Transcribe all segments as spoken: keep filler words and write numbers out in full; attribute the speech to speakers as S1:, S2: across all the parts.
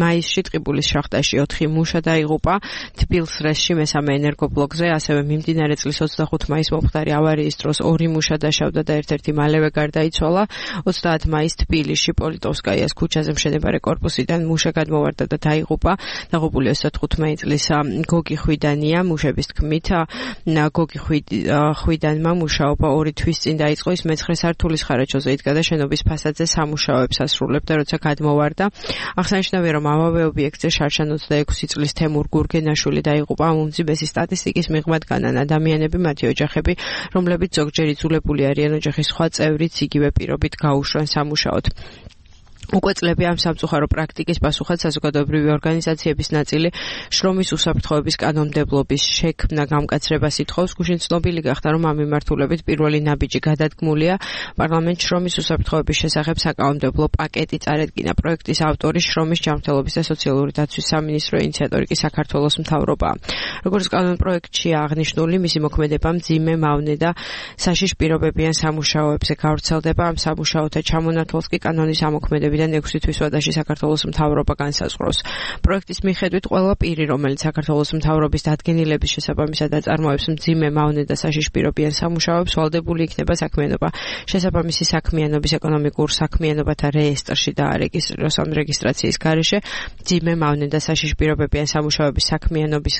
S1: მაისში ტყიბულის შახტაში ოთხი მუშა დაიღუპა, თბილს რესში მესამე ენერგობლოკზე, ასევე მიმდინარე წლის ოცდახუთი მაისს მომხდარი ავარიის დროს ორი მუშა დაშავდა და ერთ-ერთი მალევე გარდაიცვალა. ოცდაათი მაისს თბილისში პოლიტოვსკაიას ქუჩაზე მშენებარე კორპუსიდან მუშა გადმოვარდა და დაიღუპა. დაღუპული ოცდათხუთმეტი წლის გოგი ხვიდანია. მუშების თქმით, გოგი ხვიდანმა მუშაობა ორი თვის წინ დაიწყო, ის მეცხრე სართულის ხარაჯოზე იდგა და შენობის ფასადზე სამუშაოებს ასრულებდა, როცა გადმოვარდა. აღსანიშნავია, რომ ამავე ობიექტზე შარშან ოცდაექვსი წლის თემურ გურგენაშვილი დაიღუპა. უმძიმესი სტატისტიკის მიღმად განან ადამიანები, მათი ოჯახები, რომლებიც ზოგჯერ იძულებული არიან ოჯახის სხვა წევრიც იგივე პირობით გაუშვან სამუშაოდ. უკვე წლები ამ სამწუხარო პრაქტიკის პასუხად საზოგადოებრივი ორგანიზაციების ნაწილი შრომის უსაფრთხოების კანონმდებლობის შექმნა გამკაცრებას ითხოვს. გუშინ ცნობილი გახდა, რომ ამ მიმართულებით პირველი ნაბიჯი გადადგმულია. პარლამენტ შრომის უსაფრთხოების შესახებ საკანონმდებლო პაკეტი წარედგინა. პროექტის ავტორი შრომის ჯანმრთელობის და სოციალური დაცვის სამინისტრო, ინიციატორი კი საქართველოს მთავრობაა. როგორც კანონპროექტში აღნიშნული, მისი მოქმედება მძიმე, მავნე და საშიშ პირობებიან სამუშაოებზე გავრცელდება. ამ სამუშაოთა ჩამონათვალს კი კანონის ამოქმედებით ექვსი თვის ვადაში საქართველოს მთავრობა განსაზღვრავს. პროექტის მიხედვით ყველა პირი, რომელიც საქართველოს მთავრობის დადგენილების შესაბამისად აწარმოებს მძიმე, მავნე და საშიშ პირობიან სამუშაოებს, ვალდებული იქნება საქმიანობა შესაბამისი საქმიანობის ეკონომიკურ საქმიანობათა რეესტრში დაარეგისტრიროს. ამ რეგისტრაციის გარეშე მძიმე, მავნე და საშიშ პირობებიან სამუშაოების საქმიანობის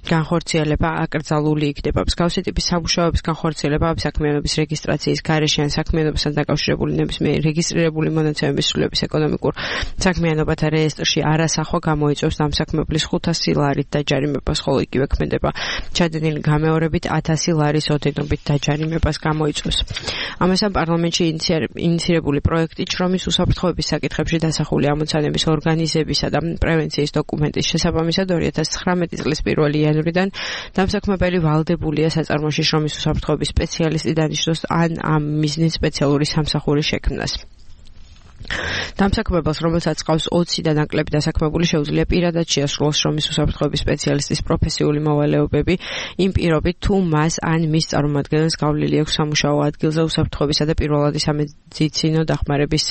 S1: განხორციელება აკრძალული იქნება. მსგავსი ტიპის სამუშაოების განხორციელება ამ საქმიანობის რეგისტრაციის გარეშე ან საქმიანობასთან დაკავშირებული ნებისმიერი რეგისტრირებული მონაცემების სრულების ეკონომიკურ საქმიანობათა რეესტრში არასახვა გამოიწვევს დამსაქმებლის ხუთასი ლარით დაჯარიმებას, ხოლო იგივე ქმედება ჩადენილი გამეორებით ათასი ლარის ოდენობით დაჯარიმებას გამოიწვევს. ამასთან პარლამენტში ინიცირებული პროექტი შრომის უსაფრთხოების საკითხებში დასახული ამოცანების ორგანიზებისა და პრევენციის დოკუმენტის შესაბამისად ორი ათას ცხრამეტი წლის პირველი იანვრიდან დამსაქმებელი ვალდებულია საწარმოში შრომის უსაფრთხოების სპეციალისტი დანიშნოს ან ამ მიზნით სპეციალური სამსახურის შექმნას. დამსაქმებელს, რომელსაც ყავს ოცი და ნაკლები დასაქმებული, შეუძლია პირადად შეასრულოს შრომის უსაფრთხოების სპეციალისტის პროფესიული მოვალეობები, იმ პირობით, თუ მას ან მის წარმომადგენელს გავლილი აქვს სამუშაო ადგილზე უსაფრთხოებისა და პირველადი სამედიცინო დახმარების